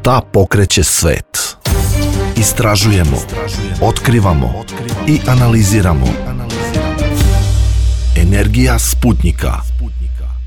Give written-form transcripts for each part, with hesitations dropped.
Šta pokreće svet? Istražujemo, otkrivamo i analiziramo. Energija Sputnika.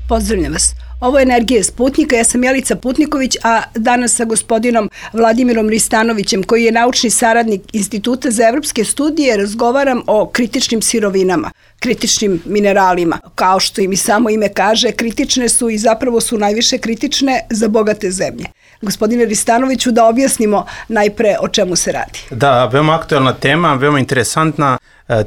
Pozdravljam vas. Ovo je Energija Sputnika, ja sam Jelica Putniković, a danas sa gospodinom Vladimirom Ristanovićem, koji je naučni saradnik Instituta za evropske studije, razgovaram o kritičnim sirovinama, kritičnim mineralima. Kao što im i samo ime kaže, kritične su i zapravo su najviše kritične za bogate zemlje. Gospodine Ristanoviću, da objasnimo najpre o čemu se radi. Da, veoma aktuelna tema, veoma interesantna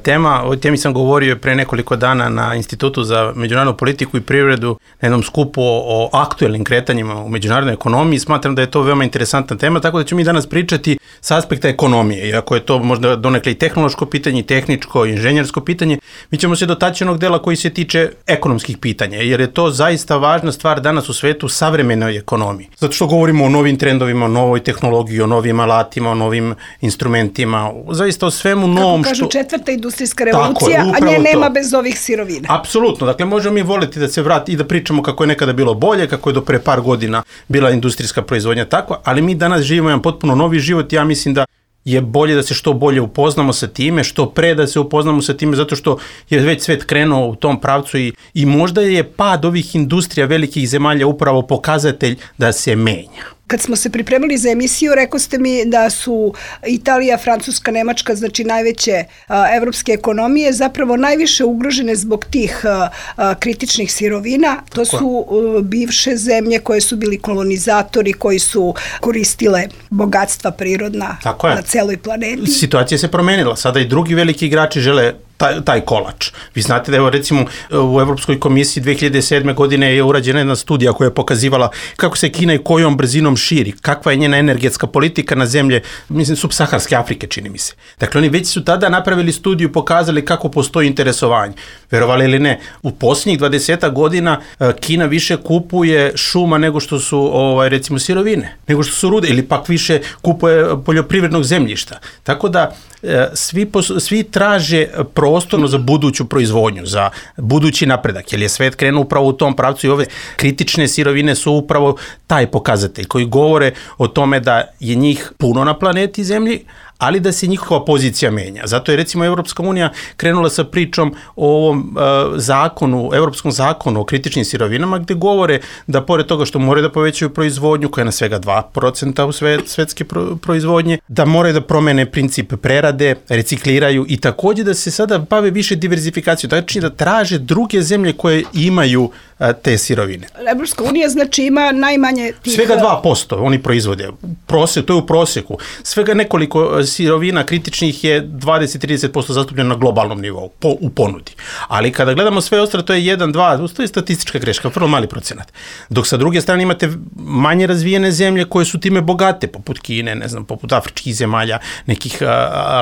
tema. O temi sam govorio pre nekoliko dana na Institutu za međunarodnu politiku i privredu na jednom skupu o aktuelnim kretanjima u međunarodnoj ekonomiji. Smatram da je to veoma interesantna tema, tako da ćemo mi danas pričati s aspekta ekonomije. Iako je to možda donekle i tehnološko pitanje, tehničko, inženjersko pitanje, mi ćemo se dotaći onog dela koji se tiče ekonomskih pitanja, jer je to zaista važna stvar danas u svetu savremenoj ekonomiji. Zato što govorimo o novim trendovima, o novoj tehnologiji, o novim alatima, o novim instrumentima, zaista o svemu novom. Kako kažu, četvrta industrijska revolucija, a nje nema bez ovih sirovina. Apsolutno, dakle možemo mi voliti da se vrati i da pričamo kako je nekada bilo bolje, kako je do pre par godina bila industrijska proizvodnja takva, ali mi danas živimo jedan potpuno novi život. Ja mislim da je bolje da se što bolje upoznamo sa time, što pre da se upoznamo sa time, zato što je već svet krenuo u tom pravcu i možda je pad ovih industrija velikih zemalja upravo pokazatelj da se menja. Kad smo se pripremili za emisiju, rekao ste mi da su Italija, Francuska, Nemačka, znači najveće evropske ekonomije, zapravo najviše ugrožene zbog tih kritičnih sirovina. To su bivše zemlje koje su bili kolonizatori, koji su koristile bogatstva prirodna na celoj planeti. Situacija se promenila. Sada i drugi veliki igrači žele taj kolač. Vi znate da je recimo u Evropskoj komisiji 2007. godine je urađena jedna studija koja je pokazivala kako se Kina i kojom brzinom širi, kakva je njena energetska politika na zemlje, mislim, subsaharske Afrike, čini mi se. Dakle, oni već su tada napravili studiju, pokazali kako postoji interesovanje. Verovali ili ne, u posljednjih 20 godina Kina više kupuje šuma nego što su recimo sirovine, nego što su rude, ili pak više kupuje poljoprivrednog zemljišta. Tako da svi traže prostorno za buduću proizvodnju, za budući napredak, jer je svet krenuo upravo u tom pravcu i ove kritične sirovine su upravo taj pokazatelj koji govore o tome da je njih puno na planeti Zemlji, ali da se njihova pozicija menja. Zato je recimo Evropska unija krenula sa pričom o ovom Evropskom zakonu o kritičnim sirovinama, gde govore da pored toga što moraju da povećaju proizvodnju, koja je na svega 2% u svetske proizvodnje, da moraju da promene princip prerade, recikliraju i takođe da se sada bave više diverzifikacijom, znači da traže druge zemlje koje imaju te sirovine. Evropska unija znači ima najmanje tih... Svega 2% oni proizvode. To je u proseku. Svega nekoliko sirovina kritičnih je 20-30% zastupljeno na globalnom nivou u ponudi. Ali kada gledamo sve ostalo, to je 1-2, to je statistička greška, vrlo mali procenat. Dok sa druge strane imate manje razvijene zemlje koje su time bogate, poput Kine, ne znam, poput afričkih zemalja, nekih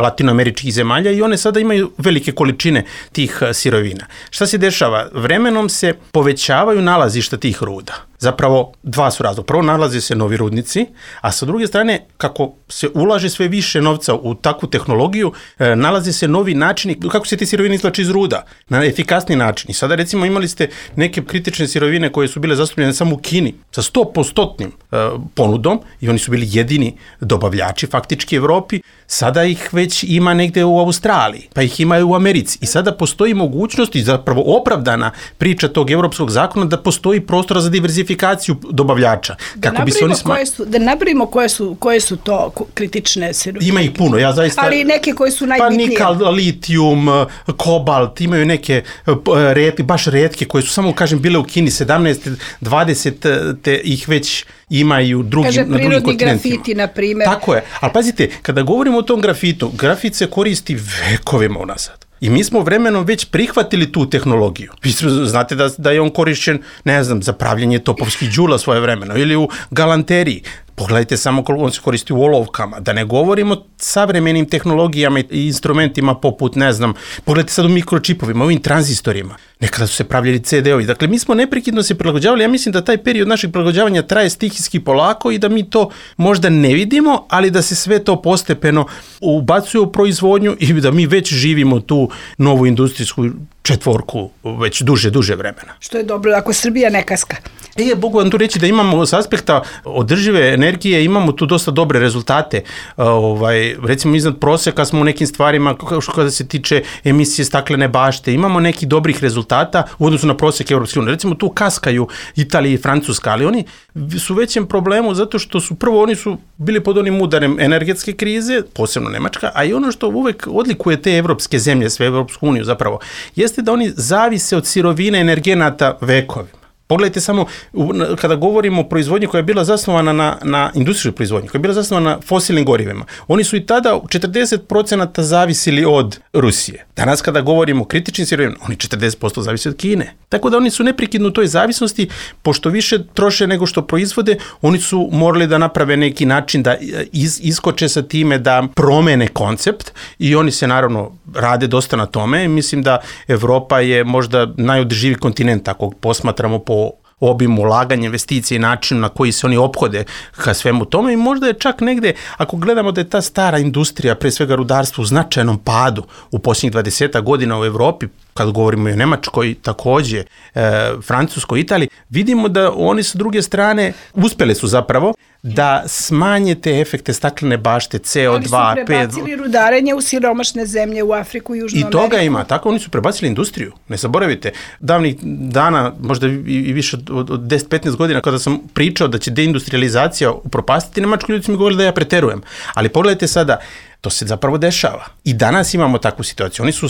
latinoameričkih zemalja, i one sada imaju velike količine tih sirovina. Šta se dešava? Vremenom se povećavaju nalazišta tih ruda. Zapravo, dva su razloga. Prvo, nalaze se novi rudnici, a sa druge strane, kako se ulaže sve više novca u takvu tehnologiju, nalaze se novi načini kako se te sirovine izvlače iz ruda, na efikasni način. I sada, recimo, imali ste neke kritične sirovine koje su bile zastupljene samo u Kini sa 100% ponudom i oni su bili jedini dobavljači faktički Evropi. Sada ih već ima negde u Australiji, pa ih ima i u Americi. I sada postoji mogućnost i zapravo opravdana priča tog evropskog zakona da postoji prostora za diverzifikaciju dobavljača. Da nabrimo koje su to kritične sirovine. Ima ih puno, ja zaista... Ali neke koje su najbitnije. Pa nikal, litijum, kobalt, imaju neke baš retke koje su samo, kažem, bile u Kini 17-20, te ih već imaju na drugim kontinentima. Kaže, prirodni grafiti, na primjer. Tako je, ali pazite, kada govorimo o tom grafitu, grafit se koristi vekovima unazad. I mi smo vremenom već prihvatili tu tehnologiju. Vi znate da je on korišćen, ne znam, za pravljenje topovskih đula svoje vremeno ili u galanteriji. Pogledajte samo koliko on se koristi u olovkama, da ne govorimo o savremenim tehnologijama i instrumentima poput, ne znam, pogledajte sad u mikročipovima, ovim tranzistorima. Nekada su se pravljali CD-ovi. Dakle, mi smo neprekidno se prilagođavali. Ja mislim da taj period našeg prilagođavanja traje stihijski polako i da mi to možda ne vidimo, ali da se sve to postepeno ubacuje u proizvodnju i da mi već živimo tu novu industrijsku četvorku već duže vremena. Što je dobro, ako Srbija ne kaska. Mogu vam tu reći da imamo s aspekta održive energije, imamo tu dosta dobre rezultate. Recimo iznad proseka smo u nekim stvarima kada se tiče emisije staklene bašte. Imamo nekih dobrih rezultata u odnosu na prosek Evropske unije. Recimo tu kaskaju Italija i Francuska, ali oni su u većem problemu zato što oni su bili pod onim udarem energetske krize, posebno Nemačka, a i ono što uvek odlikuje te evropske zemlje, sve Evropsku uniju zapravo, jeste da oni zavise od sirovine energenata vekovima. Pogledajte samo, kada govorimo o proizvodnji koja je bila zasnovana na industrijskoj proizvodnji, koja je bila zasnovana na fosilnim gorivima, oni su i tada 40% zavisili od Rusije. Danas kada govorimo o kritičnim sirovinama, oni 40% zavise od Kine. Tako da oni su neprekidno u toj zavisnosti, pošto više troše nego što proizvode, oni su morali da naprave neki način da iskoče sa time, da promene koncept i oni se naravno rade dosta na tome i mislim da Evropa je možda najodrživiji kontinent, ako posmatramo po obimu ulaganja, investicije i načinu na koji se oni ophode ka svemu tome i možda je čak negde, ako gledamo da je ta stara industrija, pre svega rudarstvo, u značajnom padu u posljednjih 20 godina u Evropi, kad govorimo i o Nemačkoj, takođe, Francuskoj, Italiji, vidimo da oni sa druge strane uspeli su zapravo da smanje te efekte staklene bašte, CO2, ali su prebacili rudarenje u siromašne zemlje, u Afriku i Južnu Ameriku. I toga ima, tako oni su prebacili industriju. Ne zaboravite, davnih dana, možda i više od 10-15 godina, kada sam pričao da će deindustrializacija upropastiti Nemačku, ljudi su mi govorili da ja preterujem. Ali pogledajte sada, to se zapravo dešava. I danas imamo takvu situaciju. Oni su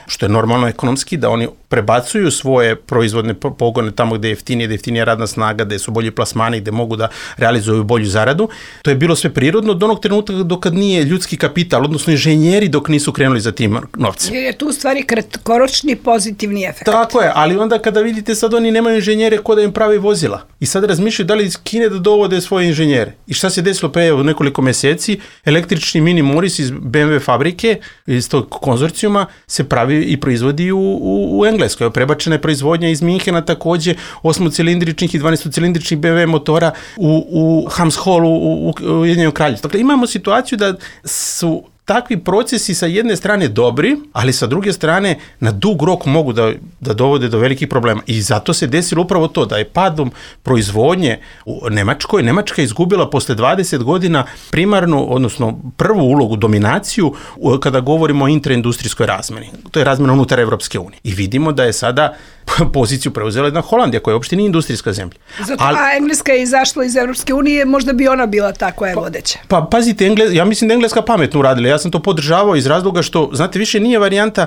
što je normalno ekonomski, da oni prebacuju svoje proizvodne pogone tamo gde je jeftinija radna snaga, gde su bolji plasmani, gde mogu da realizuju bolju zaradu. To je bilo sve prirodno do onog trenutka dokad nije ljudski kapital, odnosno inženjeri dok nisu krenuli za tim novcem. Jer je tu u stvari kratkoročni pozitivni efekt. Tako je, ali onda kada vidite sad oni nemaju inženjere ko da im pravi vozila. I sad razmišljaju da li iz Kine da dovode svoje inženjere. I šta se desilo pre nekoliko meseci? Električni mini Morris iz BMW fabrike, iz tog konzorcijuma, se pravi i proizvodi u Engleskoj. Prebačena je proizvodnja iz Minhena takođe 8-cilindričnih i 12-cilindričnih BMW motora u Hamshollu u Ujedinjenom Kraljevstvu. Dakle, imamo situaciju da su takvi procesi sa jedne strane dobri, ali sa druge strane na dug rok mogu da dovode do velikih problema. I zato se desilo upravo to, da je padom proizvodnje u Nemačkoj, Nemačka izgubila posle 20 godina primarnu, odnosno prvu ulogu, dominaciju, kada govorimo o intraindustrijskoj razmeni. To je razmena unutar Evropske unije. I vidimo da je sada poziciju preuzela jedna Holandija, koja uopšte nije industrijska zemlja. A Engleska je izašla iz Evropske unije, možda bi ona bila ta koja je vodeća. Pa pazite, ja mislim da Engleska pametno uradila. Ja sam to podržavao iz razloga što, znate, više nije varijanta,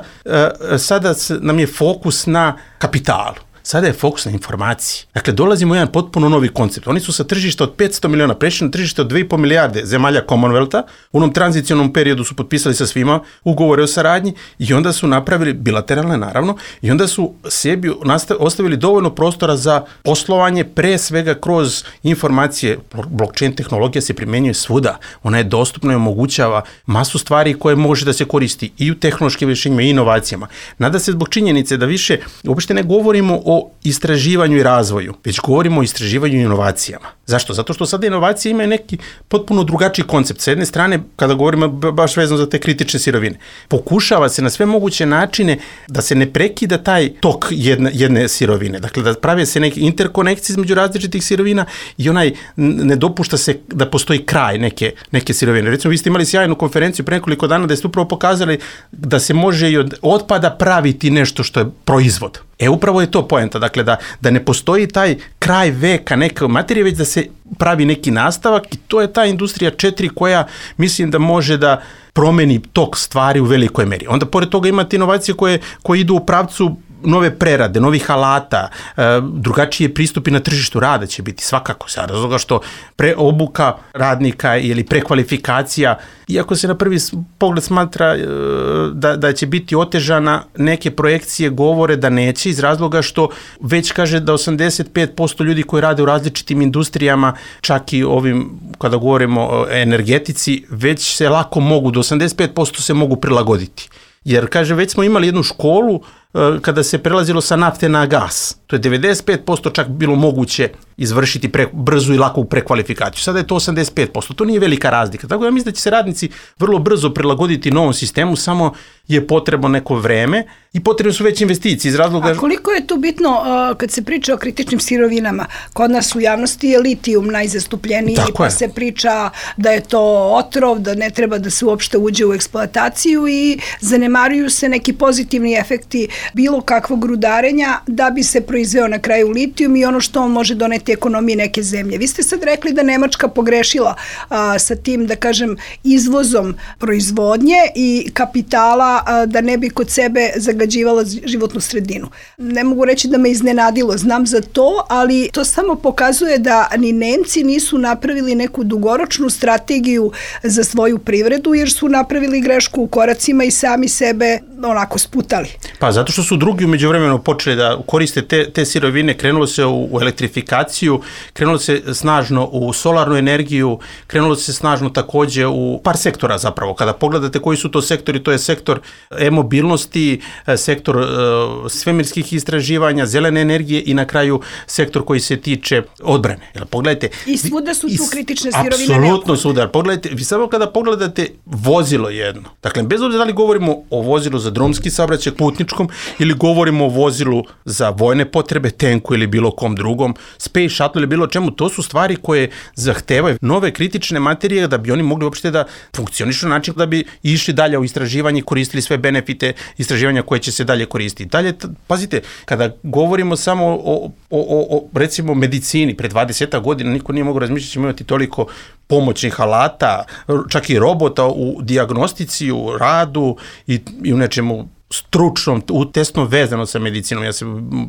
sada nam je fokus na kapitalu. Sada je fokus na informaciji. Dakle, dolazimo u jedan potpuno novi koncept. Oni su sa tržišta od 500 miliona prešli na tržište od 2,5 milijarde zemalja Commonwealtha. U onom tranzicionom periodu su potpisali sa svima ugovore o saradnji i onda su napravili, bilateralne naravno, i onda su sebi ostavili dovoljno prostora za poslovanje, pre svega kroz informacije. Blockchain tehnologija se primenjuje svuda. Ona je dostupna i omogućava masu stvari koje može da se koristi i u tehnološkim rješenjima i inovacijama. Nada se zbog činjenice da više uopšte ne govorimo o istraživanju i razvoju, već govorimo o istraživanju i inovacijama. Zašto? Zato što sada inovacije imaju neki potpuno drugačiji koncept. Sa jedne strane, kada govorimo baš vezano za te kritične sirovine, pokušava se na sve moguće načine da se ne prekida taj tok jedne sirovine. Dakle, da prave se neke interkonekcije između različitih sirovina i ne dopušta se da postoji kraj neke sirovine. Recimo, vi ste imali sjajnu konferenciju pre nekoliko dana da ste upravo pokazali da se može i od otpada praviti nešto što je proizvod. Upravo je to poenta, dakle da ne postoji taj kraj veka neke materije, već da se pravi neki nastavak i to je ta industrija 4 koja mislim da može da promeni tok stvari u velikoj meri. Onda pored toga imate inovacije koje idu u pravcu nove prerade, novih alata, drugačije pristupi na tržištu rada će biti svakako sa razloga što obuka radnika ili prekvalifikacija, iako se na prvi pogled smatra da će biti otežana, neke projekcije govore da neće iz razloga što već kaže da 85% ljudi koji rade u različitim industrijama, čak i ovim kada govorimo o energetici, već se lako mogu, do 85% se mogu prilagoditi. Jer, kaže, već smo imali jednu školu kada se prelazilo sa nafte na gas. To je 95% čak bilo moguće izvršiti brzu i laku prekvalifikaciju. Sada je to 85%, to nije velika razlika. Tako da mislim da će se radnici vrlo brzo prilagoditi novom sistemu, samo je potrebno neko vreme i potrebne su već investicije iz razloga... A koliko je tu bitno kad se priča o kritičnim sirovinama? Kod nas u javnosti je litijum najzastupljeniji, pa se priča da je to otrov, da ne treba da se uopšte uđe u eksploataciju i zanemaruju se neki pozitivni efekti bilo kakvog rudarenja da bi se proizveo na kraju litijum i ono što on može doneti ekonomiji neke zemlje. Vi ste sad rekli da Nemačka pogrešila sa tim, da kažem, izvozom proizvodnje i kapitala da ne bi kod sebe zagađivala životnu sredinu. Ne mogu reći da me iznenadilo, znam za to, ali to samo pokazuje da ni Nemci nisu napravili neku dugoročnu strategiju za svoju privredu, jer su napravili grešku u koracima i sami sebe onako sputali. Pa zato što su drugi u međuvremenu počeli da koriste te sirovine, krenulo se u elektrifikaciju, krenulo se snažno u solarnu energiju, krenulo se snažno takođe u par sektora zapravo. Kada pogledate koji su to sektori, to je sektor e-mobilnosti, sektor svemirskih istraživanja, zelene energije i na kraju sektor koji se tiče odbrane. Pogledajte, i svuda su tu kritične sirovine. Apsolutno svuda. Pogledajte, vi samo kada pogledate vozilo jedno, dakle, bez obzira da li govorimo o vozilu za drumski saobraćaj, putničkom, ili govorimo o vozilu za vojne potrebe, tenku ili bilo kom drugom, space shuttle ili bilo čemu, to su stvari koje zahtevaju nove kritične materije da bi oni mogli uopšte da funkcionišu na način da bi išli dalje u istraživanje i koristili sve benefite istraživanja koje će se dalje koristiti. Dalje, pazite, kada govorimo samo o recimo medicini, pre 20 godina niko nije mogao razmišljati da ćemo imati toliko pomoćnih alata, čak i robota u dijagnostici, u radu i u nečemu stručnom, tesno vezano sa medicinom. Ja se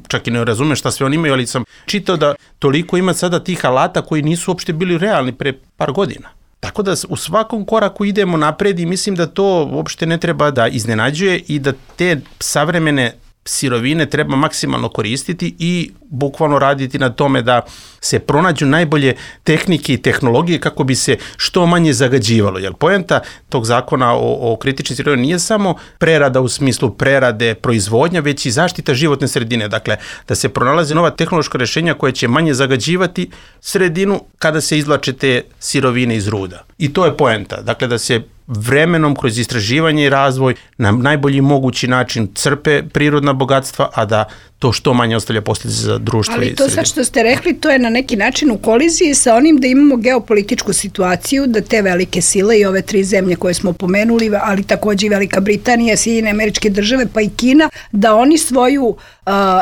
čak i ne razumem šta sve oni imaju, ali sam čitao da toliko ima sada tih alata koji nisu uopšte bili realni pre par godina. Tako da u svakom koraku idemo napred i mislim da to uopšte ne treba da iznenađuje i da te savremene sirovine treba maksimalno koristiti i bukvalno raditi na tome da se pronađu najbolje tehnike i tehnologije kako bi se što manje zagađivalo. Jer poenta tog zakona o kritičnim sirovinama nije samo prerada u smislu prerade, proizvodnja, već i zaštita životne sredine. Dakle, da se pronalaze nova tehnološka rešenja koja će manje zagađivati sredinu kada se izvlače te sirovine iz ruda. I to je poenta. Dakle, da se vremenom kroz istraživanje i razvoj na najbolji mogući način crpe prirodna bogatstva, a da to što manje ostavlja posljedice za društvo i sredinu. Ali to sad što ste rekli, to je na neki način u koliziji sa onim da imamo geopolitičku situaciju, da te velike sile i ove 3 zemlje koje smo pomenuli, ali takođe i Velika Britanija, Sjedinjene Američke Države, pa i Kina, da oni svoju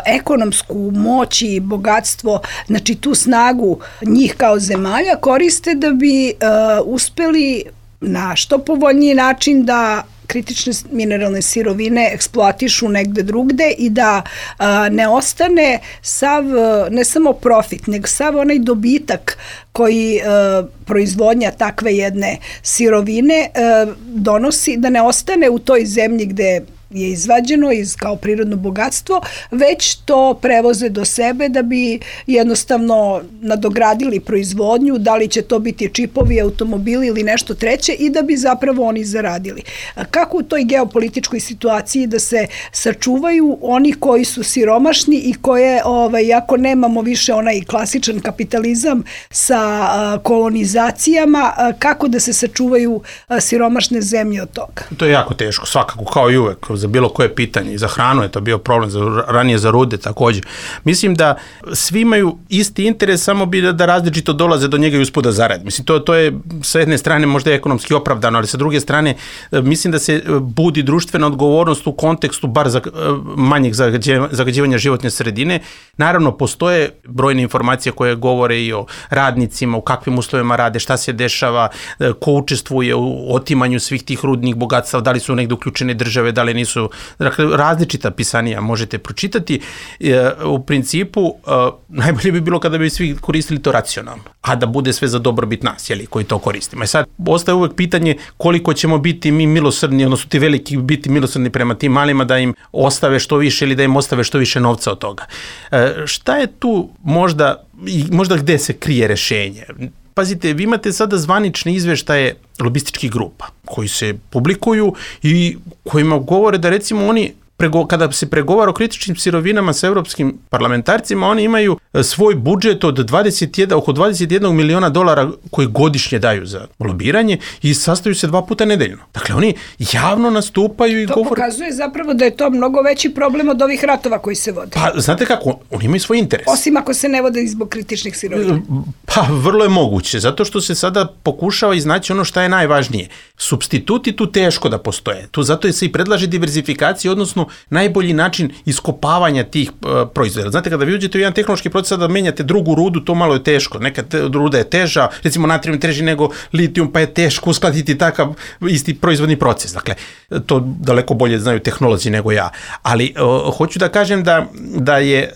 ekonomsku moć i bogatstvo, znači tu snagu njih kao zemalja koriste da bi uspeli na što povoljniji način da kritične mineralne sirovine eksploatišu negde drugde i da ne ostane sav, ne samo profit, nego sav onaj dobitak koji proizvodnja takve jedne sirovine donosi, da ne ostane u toj zemlji gde je izvađeno kao prirodno bogatstvo, već to prevoze do sebe da bi jednostavno nadogradili proizvodnju, da li će to biti čipovi, automobili ili nešto treće i da bi zapravo oni zaradili. Kako u toj geopolitičkoj situaciji da se sačuvaju oni koji su siromašni i koje, ako nemamo više onaj klasičan kapitalizam sa kolonizacijama, kako da se sačuvaju siromašne zemlje od toga? To je jako teško, svakako, kao i uvek, za bilo koje pitanje. I za hranu je to bio problem, ranije za rude takođe. Mislim da svi imaju isti interes, samo bi da različito dolaze do njega i usput da zarade. Mislim, to je sa jedne strane možda ekonomski opravdano, ali sa druge strane mislim da se budi društvena odgovornost u kontekstu bar manjeg zagađivanja životne sredine. Naravno, postoje brojne informacije koje govore i o radnicima, u kakvim uslovima rade, šta se dešava, ko učestvuje u otimanju svih tih rudnih bogatstava, da li su negde uključene države, da li nisu. Dakle, različita pisanija možete pročitati. U principu, najbolje bi bilo kada bi svi koristili to racionalno, a da bude sve za dobrobit nas, koji to koristimo. I sad, ostaje uvek pitanje koliko ćemo biti mi milosrdni, odnosno ti veliki biti milosrdni prema tim malima, da im ostave što više ili da im ostave što više novca od toga. Šta je tu možda gde se krije rešenje? Pazite, vi imate sada zvanične izveštaje lobističkih grupa koji se publikuju i kojima govore da recimo oni kada se pregovara o kritičnim sirovinama sa evropskim parlamentarcima, oni imaju svoj budžet od oko 21 miliona dolara koji godišnje daju za lobiranje i sastaju se 2 puta nedeljno. Dakle, oni javno nastupaju i govore... To pokazuje zapravo da je to mnogo veći problem od ovih ratova koji se vode. Pa, znate kako, oni imaju svoj interes. Osim ako se ne vode zbog kritičnih sirovina. Pa, vrlo je moguće, zato što se sada pokušava iznaći ono šta je najvažnije. Supstituti tu teško da postoje. Tu zato se i predlaže diverzifikacija, odnosno najbolji način iskopavanja tih proizvoda. Znate, kada vi uđete u jedan tehnološki proces da menjate drugu rudu, to malo je teško. Neka ruda je teža, recimo natrijum teži nego litijum, pa je teško uskladiti takav isti proizvodni proces. Dakle, to daleko bolje znaju tehnolozi nego ja. Ali hoću da kažem da je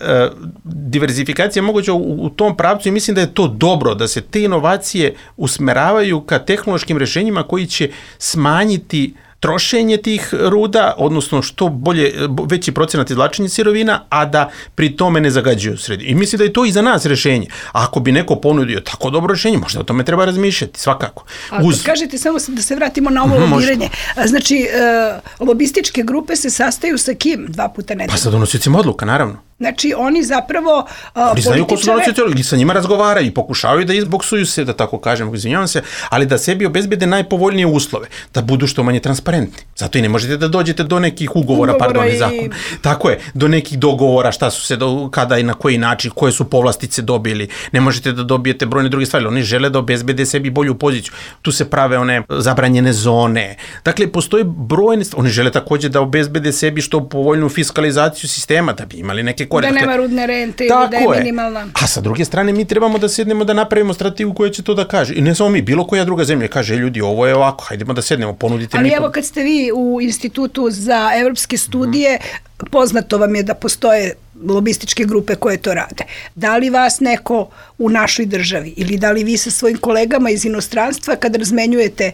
diverzifikacija moguća u tom pravcu i mislim da je to dobro, da se te inovacije usmeravaju ka tehnološkim rešenjima koji će smanjiti trošenje tih ruda, odnosno što bolje, veći procenat izvlačenja sirovina, a da pri tome ne zagađuju sredinu. I mislim da je to i za nas rešenje. A ako bi neko ponudio tako dobro rešenje, možda o tome treba razmišljati, svakako. Kažete, samo da se vratimo na ovo lobiranje. Znači, lobističke grupe se sastaju sa kim 2 puta nedeljno? Pa sa donosiocima odluka, naravno. Znači, oni zapravo oni znaju ko su donosioci i sa njima razgovaraju i pokušavaju da izboksuju se, da tako kažem, izvinjavam se, ali da sebi obezbede najpovoljnije uslove, da budu što manje transparentni. Zato i ne možete da dođete do nekih ugovora zakon. Tako je, do nekih dogovora, šta su se, kada i na koji način, koje su povlastice dobili. Ne možete da dobijete brojne druge stvari. Oni žele da obezbede sebi bolju poziciju. Tu se prave one zabranjene zone. Dakle, postoje brojne stvari. Oni žele takođe da obezbede sebi što povoljnu fiskalizaciju sistema, da bi imali neke da nema rudne rente ili da je minimalna. A sa druge strane mi trebamo da sednemo da napravimo strategiju koja će to da kaže. I ne samo mi, bilo koja druga zemlja kaže, ljudi, ovo je ovako, hajdemo da sednemo, ponudite mi. Ali evo kad ste vi u Institutu za evropske studije, poznato vam je da postoje lobističke grupe koje to rade. Da li vas neko u našoj državi ili da li vi sa svojim kolegama iz inostranstva kad razmenjujete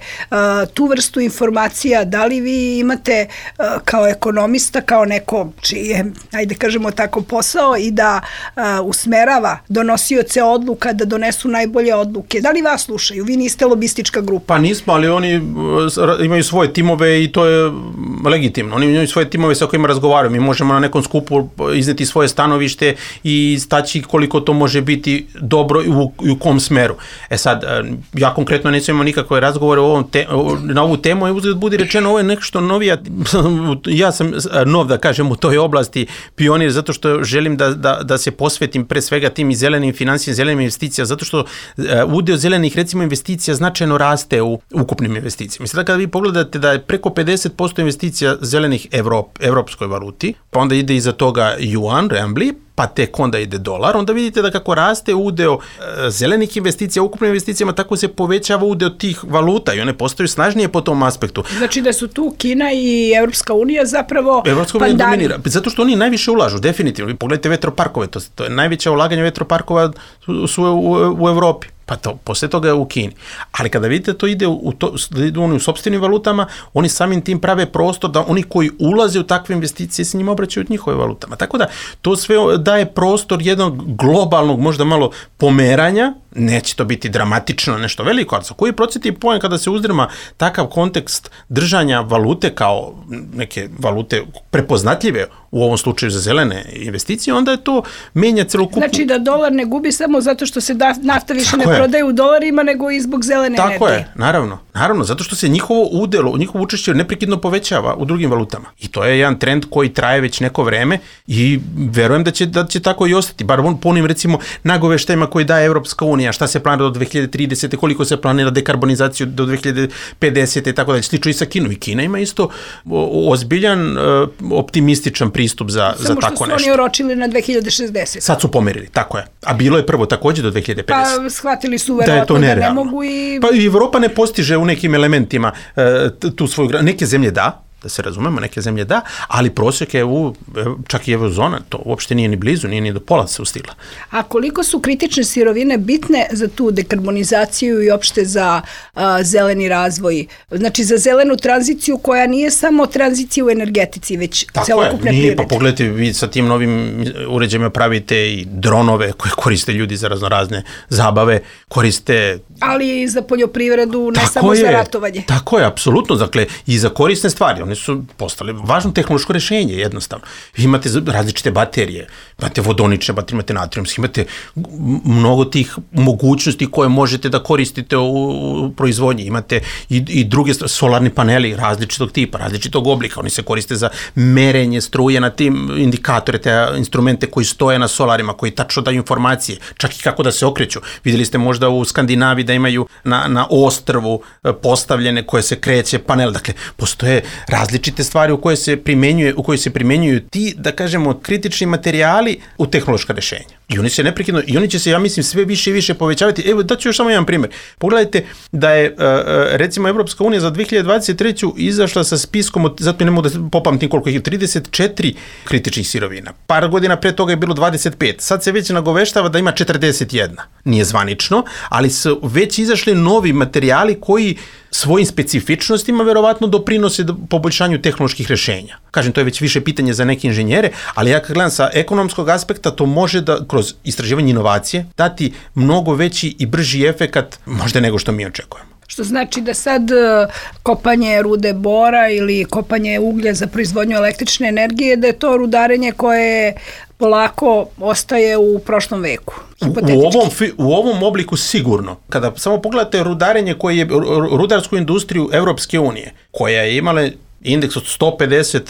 tu vrstu informacija, da li vi imate kao ekonomista, kao neko čiji je, ajde kažemo tako, posao i da usmerava donosioce odluka da donesu najbolje odluke? Da li vas slušaju? Vi niste lobistička grupa. Pa nismo, ali oni imaju svoje timove i to je legitimno. Oni imaju svoje timove sa kojima razgovaraju. Mi možemo na nekom skupu izneti svoje stanovište i staći koliko to može biti dobro i u kom smeru. Sad, ja konkretno neću imati nikakve razgovore na ovu temu i uzgled budi rečeno, ovo je nešto novija, ja sam nov da kažem u toj oblasti pionir zato što želim da se posvetim pre svega tim i zelenim financijama, zelenim investicijama, zato što udeo zelenih recimo investicija značajno raste u ukupnim investicijama. Mislim da kada vi pogledate da je preko 50% investicija zelenih evropskoj valuti, pa onda ide iza toga juan, renminbi, pa tek onda ide dolar, onda vidite da kako raste udeo zelenih investicija, ukupnim investicijama, tako se povećava udeo tih valuta i one postaju snažnije po tom aspektu. Znači da su tu Kina i Evropska unija zapravo dominira, zato što oni najviše ulažu, definitivno. Vi pogledajte vetroparkove, to je najveće ulaganje vetroparkova su u Evropi. Pa to, posle toga je u Kini. Ali kada vidite to ide u sopstvenim valutama, oni samim tim prave prostor da oni koji ulaze u takve investicije se njima obraćaju njihove valutama. Tako da to sve daje prostor jednog globalnog, možda malo pomeranja, neće to biti dramatično nešto veliko, ali za koji procenti poen kada se uzdrma takav kontekst držanja valute kao neke valute prepoznatljive u ovom slučaju za zelene investicije, onda je to menja celokupno. Znači da dolar ne gubi samo zato što se nafta više ne prodaje u dolarima, nego i zbog zelene energije. Tako je, naravno, zato što se njihovo učešće neprekidno povećava u drugim valutama. I to je jedan trend koji traje već neko vreme i verujem da će tako i ostati. Bar po onim recimo nagoveštajima koji daje Evropska unija, šta se planira do 2030. koliko se planira dekarbonizaciju do 2050. i tako dalje. Slično i sa Kinom. I Kina ima isto ozbiljan, optimističan pristup za tako nešto. Samo što su oni oročili na 2060. Sad su pomerili, tako je. A bilo je prvo takođe do 2050. Pa shvatili su verovatno da ne mogu i... Pa i Evropa ne postiže u nekim elementima tu svoju... Neke zemlje da se razumemo, neke zemlje da, ali prosjek je čak i eurozona, to uopšte nije ni blizu, nije ni do pola se ustigla. A koliko su kritične sirovine bitne za tu dekarbonizaciju i opšte za zeleni razvoj? Znači za zelenu tranziciju koja nije samo tranzicija u energetici, već celokupne privrede. Pa pogledajte, vi sa tim novim uređajima pravite i dronove koje koriste ljudi za razne zabave, koriste... Ali i za poljoprivredu, ne samo za ratovanje. Tako je, apsolutno, dakle, i za korisne stvari. one su postale važno tehnološko rešenje, jednostavno. Imate različite baterije, imate vodonične baterije, imate natrijumske, imate mnogo tih mogućnosti koje možete da koristite u proizvodnji. Imate i druge solarni paneli različitog tipa, različitog oblika. Oni se koriste za merenje struje na tim indikatore, te instrumente koji stoje na solarima, koji tačno daju informacije, čak i kako da se okreću. Vidjeli ste možda u Skandinaviji da imaju na ostrvu postavljene koje se kreće panel. Dakle, postoje različite stvari u koje se primenjuju ti, da kažemo, kritični materijali u tehnološka rešenja. I oni se neprekidno, i oni će se, ja mislim, sve više i više povećavati. Evo, daću još samo jedan primjer. Pogledajte da je, recimo, Evropska unija za 2023. izašla sa spiskom, zato ne mogu da popamtim koliko ih je, 34 kritičnih sirovina. Par godina pre toga je bilo 25. Sad se već nagoveštava da ima 41. Nije zvanično, ali su već izašli novi materijali koji svojim specifičnostima verovatno doprinose poboljšanju tehnoloških rešenja. Kažem, to je već više pitanje za neke inženjere, ali ja kad gledam sa ekonomskog aspekta, to može da kroz istraživanje inovacije dati mnogo veći i brži efekat možda nego što mi očekujemo. Što znači da sad kopanje rude bora ili kopanje uglja za proizvodnju električne energije, da je to rudarenje koje polako ostaje u prošlom veku. U ovom obliku sigurno. Kada samo pogledate rudarenje koje je rudarsku industriju Evropske unije, koja je imala indeks od 150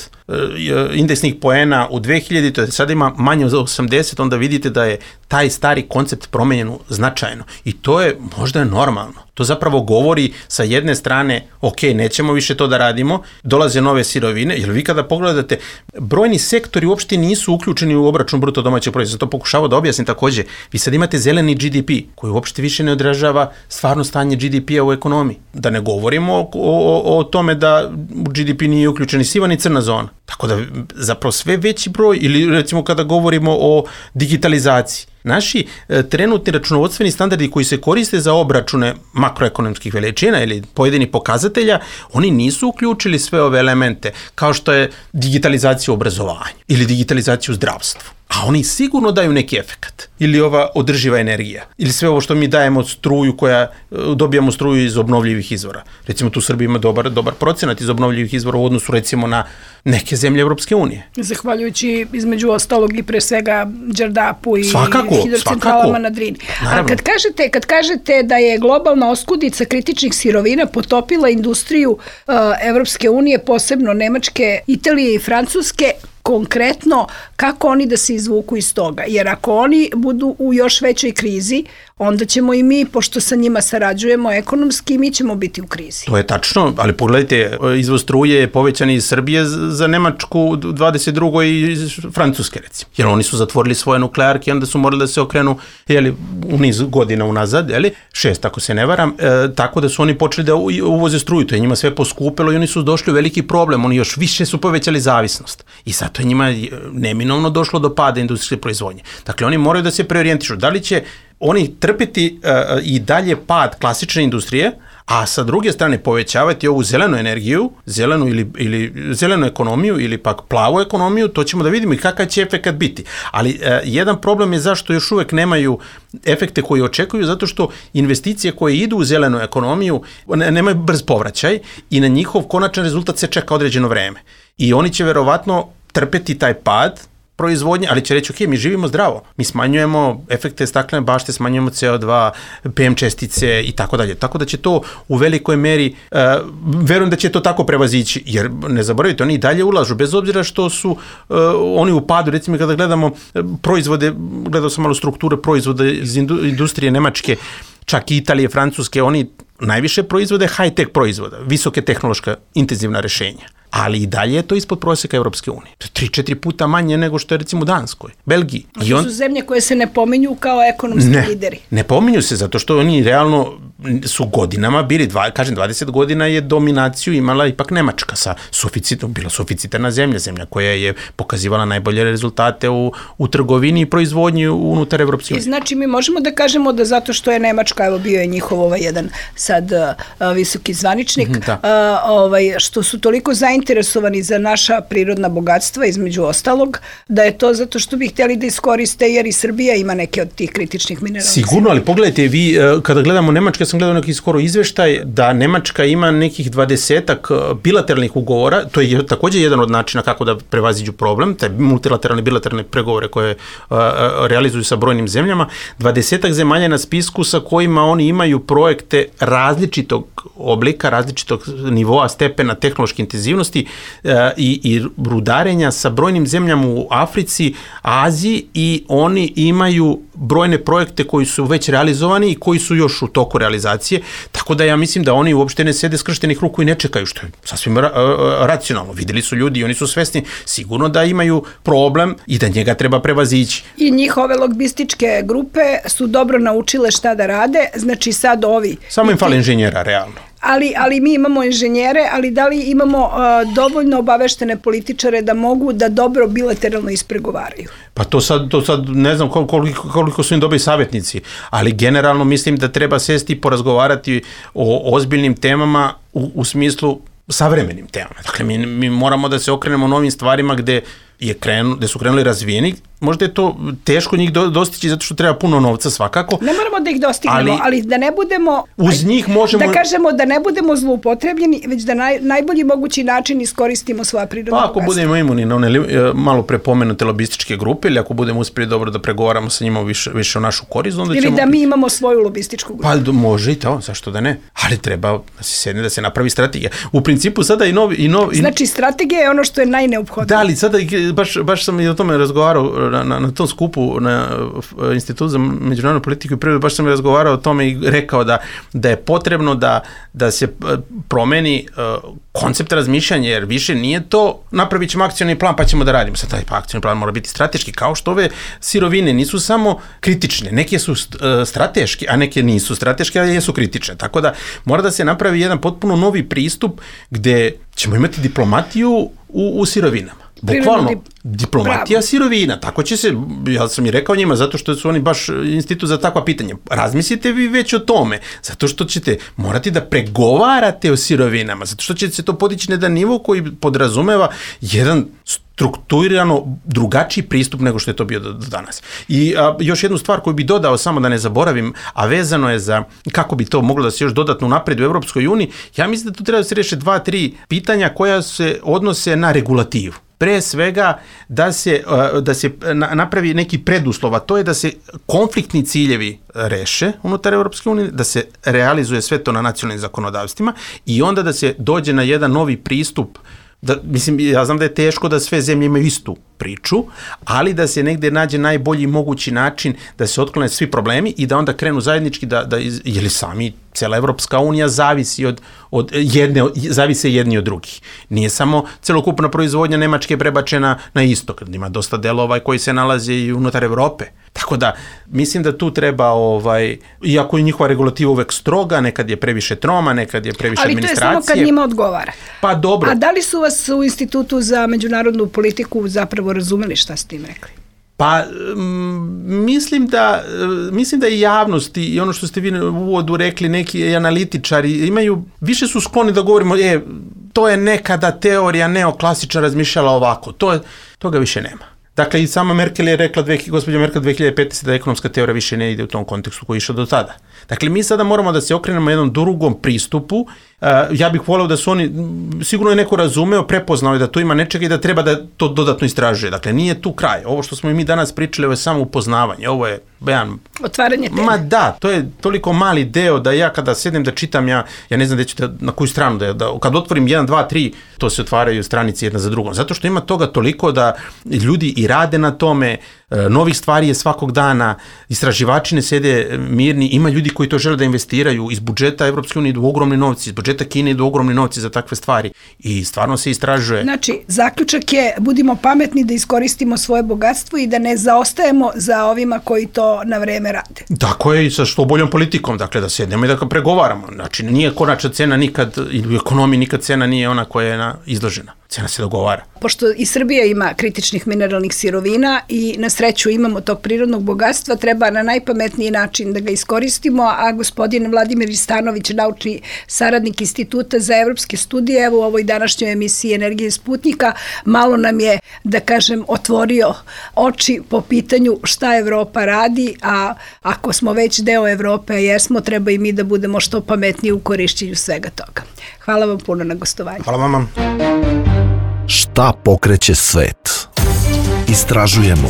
indeksnih poena u 2000, sada ima manje od 80, onda vidite da je taj stari koncept promenjen značajno. I to je možda normalno. To zapravo govori sa jedne strane, ok, nećemo više to da radimo, dolaze nove sirovine, jer vi kada pogledate, brojni sektori uopšte nisu uključeni u obračun bruto domaćeg proizvoda. To pokušavao da objasnim takođe. Vi sad imate zeleni GDP, koji uopšte više ne odražava stvarno stanje GDP-a u ekonomiji. Da ne govorimo o tome da u GDP nije uključeni siva ni crna zona. Tako da zapravo sve veći broj, ili recimo kada govorimo o digitalizaciji, naši trenutni računovodstveni standardi koji se koriste za obračune makroekonomskih veličina ili pojedinih pokazatelja, oni nisu uključili sve ove elemente, kao što je digitalizacija u obrazovanju ili digitalizacija u zdravstvu. A oni sigurno daju neki efekat. Ili ova održiva energija. Ili sve ovo što mi dajemo struju dobijamo struju iz obnovljivih izvora. Recimo tu Srbija ima dobar procenat iz obnovljivih izvora u odnosu recimo na neke zemlje Evropske unije. Zahvaljujući između ostalog i pre svega Đerdapu i hidrocentralama na Drini. A kad kažete da je globalna oskudica kritičnih sirovina potopila industriju Evropske unije, posebno Nemačke, Italije i Francuske, konkretno kako oni da se izvuku iz toga. Jer ako oni budu u još većoj krizi, onda ćemo i mi, pošto sa njima sarađujemo ekonomski, mi ćemo biti u krizi. To je tačno, ali pogledajte, izvoz struje je povećan iz Srbije za Nemačku 22. i iz Francuske, recimo. Jer oni su zatvorili svoje nuklearke i onda su morali da se okrenu u niz godina unazad, 6 ako se ne varam, tako da su oni počeli da uvoze struju. To je njima sve poskupilo i oni su došli u veliki problem. Oni još više su povećali zavisnost. I zato je njima neminovno došlo do pada industrijske proizvodnje. Dakle, oni moraju da se preorijentišu. Da li će oni trpeti i dalje pad klasične industrije, a sa druge strane povećavati ovu zelenu energiju, zelenu ekonomiju ili pak plavu ekonomiju, to ćemo da vidimo i kakav će efekat biti. Ali jedan problem je zašto još uvek nemaju efekte koji očekuju, zato što investicije koje idu u zelenu ekonomiju nemaju brz povraćaj i na njihov konačan rezultat se čeka određeno vreme. I oni će verovatno trpeti taj pad proizvodnje, ali će reći, ok, mi živimo zdravo, mi smanjujemo efekte staklene bašte, smanjujemo CO2, PM čestice i tako dalje. Tako da će to u velikoj meri, verujem da će to tako prevazići, jer ne zaboravite, oni i dalje ulažu, bez obzira što su oni u padu, recimo kada gledamo proizvode, gledao sam malo strukture proizvoda iz industrije Nemačke, čak i Italije, Francuske, oni najviše proizvode high-tech proizvoda, visoke tehnološka intenzivna rešenja. Ali i dalje je to ispod prosjeka Evropske unije. To je 3-4 puta manje nego što je recimo u Danskoj, Belgiji. A to su zemlje koje se ne pominju kao ekonomski lideri. Ne pominju se, zato što oni realno su godinama bili, 20 godina je dominaciju imala ipak Nemačka sa suficitom, bila suficitarna zemlja koja je pokazivala najbolje rezultate u trgovini i proizvodnji unutar Evropske unije. I znači mi možemo da kažemo da zato što je Nemačka, evo bio je njihov jedan sad visoki zvaničnik, što su toliko zainteresovani za naša prirodna bogatstva, između ostalog, da je to zato što bi htjeli da iskoriste, jer i Srbija ima neke od tih kritičnih minerala. Sigurno, ali pogledajte, vi kada gledamo Nemačka, sam gledao neki skoro izveštaj da Nemačka ima nekih 20-ak bilateralnih ugovora, to je također jedan od načina kako da prevaziđu problem, taj multilateralni bilateralne pregovore koje realizuju sa brojnim zemljama, 20-ak zemalja na spisku sa kojima oni imaju projekte različitog oblika, različitog nivoa, stepena tehnološke intenzivnosti i rudarenja sa brojnim zemljama u Africi, Aziji i oni imaju brojne projekte koji su već realizovani i koji su još u toku realizacije, tako da ja mislim da oni uopšte ne sede skrštenih ruku i ne čekaju, što je sasvim racionalno. Videli su ljudi i oni su svesni sigurno da imaju problem i da njega treba prevazići. I njihove logističke grupe su dobro naučile šta da rade, znači sad ovi... Samo im fali inženjera, realno. Ali mi imamo inženjere, ali da li imamo dovoljno obaveštene političare da mogu da dobro bilateralno ispregovaraju? Pa to sad ne znam koliko su im dobri savjetnici, ali generalno mislim da treba sesti i porazgovarati o ozbiljnim temama u smislu savremenim temama. Dakle, mi moramo da se okrenemo novim stvarima gde su krenuli razvijeni. Možda je to teško njih dostići zato što treba puno novca svakako. Ne moramo da ih dostignemo, ali da ne budemo... Uz njih možemo... Da kažemo da ne budemo zloupotrebljeni, već da najbolji mogući način iskoristimo svoja prirodna bogatstva. Pa ako budemo imuni na one malo prepomenute lobističke grupe ili ako budemo uspjeli dobro da pregovaramo sa njima više o našu korist, onda ćemo... Ili da mi imamo svoju lobističku grupu. Pa može i to, zašto da ne? Ali treba da se sedne, da se napravi strategija. U principu sada i novi... Znači strategija je ono što je najneophodnije. Da, ali sada baš sam i o tome razgovarao na tom skupu na Institutu za međunarodnu politiku i privredu, baš sam razgovarao o tome i rekao da je potrebno da se promeni koncept razmišljanja, jer više nije to napravit ćemo akcioni plan pa ćemo da radimo. Sad taj akcioni plan mora biti strateški, kao što ove sirovine nisu samo kritične, neke su strateške, a neke nisu strateške, ali jesu kritične. Tako da mora da se napravi jedan potpuno novi pristup gde ćemo imati diplomatiju u sirovinama. Bukvalno, diplomatija sirovina, tako će se, ja sam i rekao njima, zato što su oni baš institut za takva pitanja. Razmislite vi već o tome, zato što ćete morati da pregovarate o sirovinama, zato što će se to podići na jedan nivo koji podrazumeva jedan strukturirano drugačiji pristup nego što je to bio do danas. I još jednu stvar koju bi dodao, samo da ne zaboravim, a vezano je za kako bi to moglo da se još dodatno unapredi u Evropskoj uniji, ja mislim da tu treba da se reše 2-3 pitanja koja se odnose na regulativu. Pre svega da se napravi neki preduslov, a to je da se konfliktni ciljevi reše unutar Evropske unije, da se realizuje sve to na nacionalnim zakonodavstvima i onda da se dođe na jedan novi pristup. Mislim, ja znam da je teško da sve zemlje imaju istu priču, ali da se negde nađe najbolji mogući način da se otklone svi problemi i da onda krenu zajednički jer sami cela Evropska unija zavise jedni od drugih. Nije samo celokupna proizvodnja Nemačke prebačena na istok, ima dosta delova koji se nalaze i unutar Evrope. Tako da, mislim da tu treba, iako je njihova regulativa uvek stroga, nekad je previše troma, nekad je previše administracije. Ali to je samo kad njima odgovara. Pa dobro. A da li su vas u Institutu za međunarodnu politiku zapravo razumeli šta ste im rekli? Pa, mislim da i javnost i ono što ste vi u uvodu rekli, neki analitičari više su skloni da govorimo, to je nekada teorija neoklasična razmišljala ovako, toga više nema. Dakle, i sama Merkel je rekla, gospođa Merkel 2015. da ekonomska teorija više ne ide u tom kontekstu koji je išao do tada. Dakle, mi sada moramo da se okrenemo jednom drugom pristupu. Ja bih voleo da su oni, sigurno je neko razumeo, prepoznao je da tu ima nečega i da treba da to dodatno istražuje. Dakle, nije tu kraj. Ovo što smo i mi danas pričali, ovo je samo upoznavanje. Ovo je otvaranje teme. Ma da, to je toliko mali deo da ja kada sednem da čitam, ja ne znam na koju stranu kad otvorim 1, 2, 3, to se otvaraju stranice jedna za drugom. Zato što ima toga toliko da ljudi i rade na tome, novih stvari je svakog dana, istraživači ne sede mirni, ima ljudi koji to žele da investiraju, iz budžeta Evropske unije idu ogromni novci, iz budžeta Kine idu ogromni novci za takve stvari i stvarno se istražuje. Znači, zaključak je, budimo pametni da iskoristimo svoje bogatstvo i da ne zaostajemo za ovima koji to na vreme rade. Tako je i sa što boljom politikom, dakle da sednemo i da pregovaramo. Znači, nije konačna cena nikad, ili u ekonomiji nikad cena nije ona koja je izložena. cena se dogovara. Pošto i Srbija ima kritičnih mineralnih sirovina i na sreću imamo tog prirodnog bogatstva, treba na najpametniji način da ga iskoristimo, a gospodin Vladimir Ristanović, naučni saradnik Instituta za evropske studije, evo u ovoj današnjoj emisiji Energije Sputnika, malo nam je, da kažem, otvorio oči po pitanju šta Evropa radi, a ako smo već deo Evrope, a jesmo, treba i mi da budemo što pametniji u korišćenju svega toga. Hvala vam puno na gostovanju. Hvala vama. Šta pokreće svet? Istražujemo,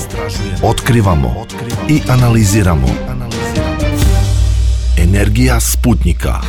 otkrivamo i analiziramo. Energija Sputnika.